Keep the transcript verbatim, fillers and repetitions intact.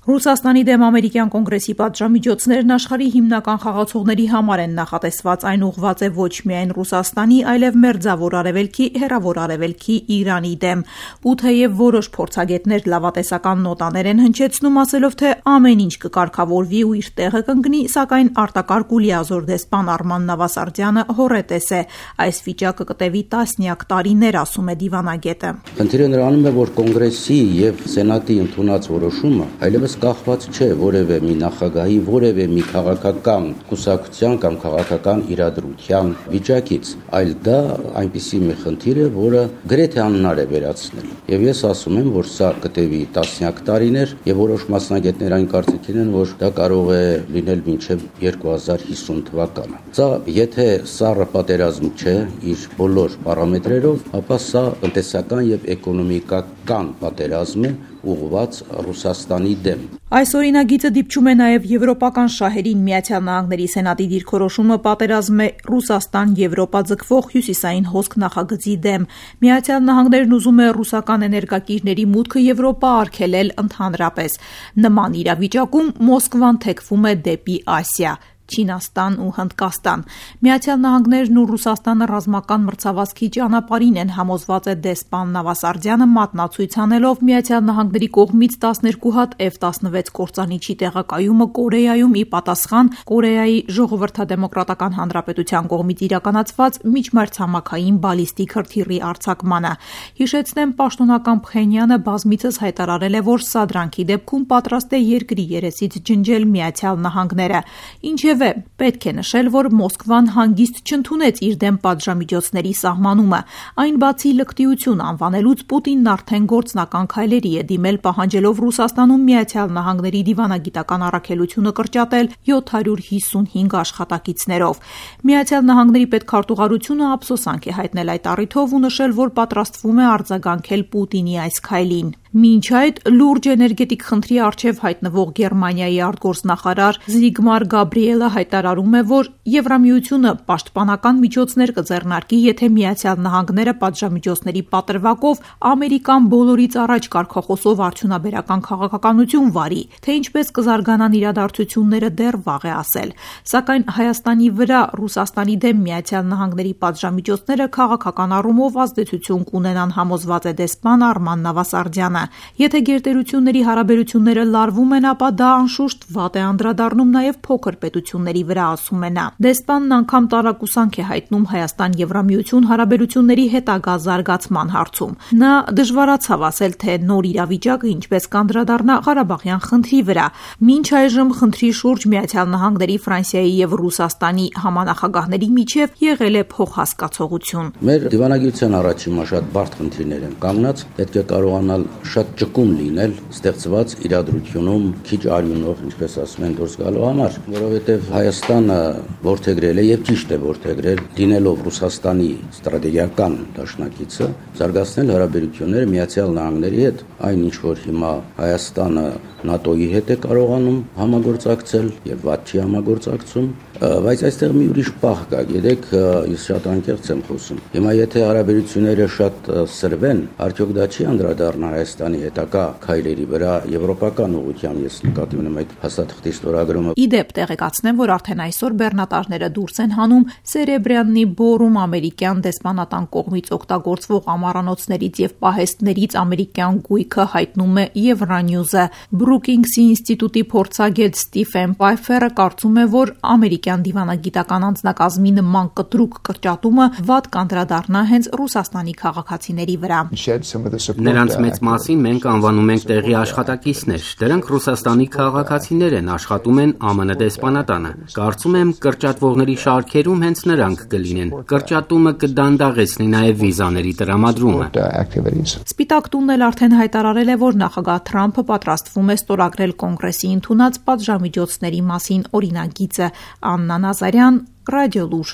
Ռուսաստանի դեմ ամերիկյան կոնգրեսի պատժամիջոցներն աշխարհի հիմնական խաղացողների համար են նախատեսված, այն ուղղված է ոչ միայն Ռուսաստանի, այլև Մերձավոր Արևելքի, Հեռավոր Արևելքի, Իրանի դեմ։ Ու թեև որոշ փորձագետներ լավատեսական նոտաներ են հնչեցնում, ասելով, թե ամեն ինչ կկարգավորվի ու իր տեղը կընկնի, սակայն արտակարգ ու լիազոր դեսպան Արման Նավասարդյանը հոռետես է։ Այս վիճակը կտևի տասնյակ տարիներ, ասում է դիվանագետը։ Խնդիրը նրանում է, որ կոնգրեսի եւ սենատի ընդունած որոշումը այլևս կախված չէ որևէ մի նախագահի, որևէ մի քաղաքական կուսակցության կամ քաղաքական իրադրության վիճակից, այլ դա այնպիսի մի խնդիր է, որը գրեթե անհնար է վերացնել։ Եվ ես ասում եմ, որ սա կտևի տասնյակ տարիներ, եւ որոշ մասնագետներ այն կարծիքին են, որ դա կարող է լինել մինչև երկու հազար հիսուն թվականը։ Սա եթե սառը պատերազմ չէ իր բոլոր պարամետրերով, ապա սա տնտեսական եւ էկոնոմիկական պատերազմ է ուղղված Ռուսաստանի դեմ։ Այս օրինագիծը դիպչում է նաև եվրոպական շահերին։ Միացյալ Նահանգների սենատի դիրքորոշումը պատերազմ է Ռուսաստան-Եվրոպա ձգվող հյուսիսային հոսք նախագծի դեմ։ Միացյալ Նահանգներն ուզում է ռուսական էներգակիրների մուտքը Եվրոպա արգելել ընդհանրապես։ Նման իրավիճակում Մոսկվան թեքվում է դեպի Ասիա։ Չինաստան ու Հնդկաստան։ Միացյալ Նահանգներն ու Ռուսաստանը ռազմական մրցավազքի ճանապարհին են, համոզված է դեսպան Նավասարդյանը, մատնացույց անելով Միացյալ Նահանգների կողմից տասներկու հատ Էֆ տասնվեց կործանիչի տեղակայումը Կորեայում ի պատասխան Կորեայի Ժողովրդադեմոկրատական Հանրապետության կողմից իրականացված միջմայրցամաքային բալիստիկ հրթիռի արձակմանը։ Հիշեցնեմ, պաշտոնական Փխենյանը բազմիցս հայտարարել է, որ սադրանքի դեպքում պատրաստ է երկրի երեսից ջնջել Միացյալ Նահանգները։ Ինչևէ, պետք է նշել, որ Մոսկվան հանգիստ չընդունեց իր դեմ պատժամիջոցների սահմանումը։ Այն բացի լկտիություն անվանելուց Պուտինն արդեն գործնական քայլերի է դիմել, պահանջելով Ռուսաստանում Միացյալ Նահանգների դիվանագիտական առաքելությունը կրճատել յոթ հարյուր հիսունհինգ աշխատակիցներով։ Միացյալ Նահանգների պետքարտուղարությունը ափսոսանք է հայտնել այդ առիթով ու նշել, որ պատրաստվում է արձագանքել Պուտինի այս քայլին։ Մինչ այդ լուրջ էներգետիկ խնդրի առջև հայտնվող Գերմանիայի արտգործնախարար Զիգմար Գաբրիելը հայտարարում է, որ Եվրամիությունը պաշտպանական միջոցներ կձեռնարկի, եթե Միացյալ Նահանգները պատժամիջոցների պատրվակով Ամերիկան բոլորից առաջ կարգախոսով արդյունաբերական քաղաքականություն վարի, թե ինչպես կզարգանան իրադարձությունները դեռ վաղ է ասել։ Սակայն Հայաստանի վրա Ռուսաստանի դեմ Միացյալ Նահանգների պատժամիջոցները քաղաքական առումով ազդեցություն կունենան, համոզված է դեսպան Արման Նավասարդյանը։ Եթե գերտերությունների հարաբերությունները լարվում են, ապա դա անշուշտ վատ է անդրադառնում նաև փոքր պետությունների վրա, ասում է նա։ Դեսպանն անգամ տարակուսանք է հայտնում Հայաստան-Եվրամիություն հարաբերությունների հետագա զարգացման հարցում։ Նա դժվարացավ ասել, թե նոր իրավիճակը ինչպես կանդրադառնա Ղարաբաղյան խնդրի վրա։ Մինչ այժմ խնդրի շուրջ Միացյալ Նահանգների, Ֆրանսիայի եւ Ռուսաստանի համանախագահների միջև եղել է փոխհասկացողություն։ Մեր դիվանագիտության առաջին շատ բարդ խնդիրներ են կանգնած, պետք է կարողանալ շատ ճկուն լինել ստեղծված իրադրությունում քիչ արյունով, ինչպես ասում են, դուրս գալու համար, որովհետև Հայաստանը որդեգրել է եւ ճիշտ է որդեգրել, լինելով Ռուսաստանի ստրատեգիական դաշնակիցը, զարգացնել հարաբերությունները Միացյալ Նահանգների հետ, այն ինչ որ հիմա Հայաստանը ՆԱՏՕ-ի հետ է կարողանում համագործակցել եւ վատ չի համագործակցում, բայց այստեղ մի ուրիշ պահ կա, գիտեք, ես շատ անկեղծ եմ խոսում։ Հիմա եթե հարաբերությունները շատ սրվեն, արդյոք դա չի անդրադառնա Հայաստանի հետագա քայլերի վրա եվրոպական ուղղությամբ, ես նկատի ունեմ այդ հաստատախտի ստորագրումը։ Իդեպ տեղեկացնեմ, որ արդեն այսօր բեռնատարները դուրս են հանում Սերեբրյաննի բորում ամերիկյան դեսպանատան կողմից օգտագործվող ամառանոցներից եւ պահեստներից ամերիկյան գույքը, հայտնում է Евроньюզը։ Բրուկինգսի ինստիտուտի փորձագետ Ստիվեն Պայֆերը կարծում է, որ ամերիկյան դիվանագիտական անձնակազմի նման կտրուկ կրճատումը վատ կանդրադառնա հենց Ռուսաստանի քաղաքացիների վրա։ Նրանց մեծ մասին մենք անվանում ենք տեղի աշխատակիցներ։ Դրանք Ռուսաստանի քաղաքացիներ են, աշխատում են Ամեն դեսպանատանը։ Կարծում եմ կրճատվողների շարքերում հենց նրանք կլինեն։ Կրճատումը կդանդաղեցնի նաև վիզաների տրամադրումը։ Սպիտակ տունն էլ արդեն հայտարարել է, որ նախագահ Թրամփը պատրաստվում է ստորագրել կոնգրեսի ընդունած պատժամիջոցների մասին օրինագիծը։ Աննա Նազարյան, Ռադիոլուր։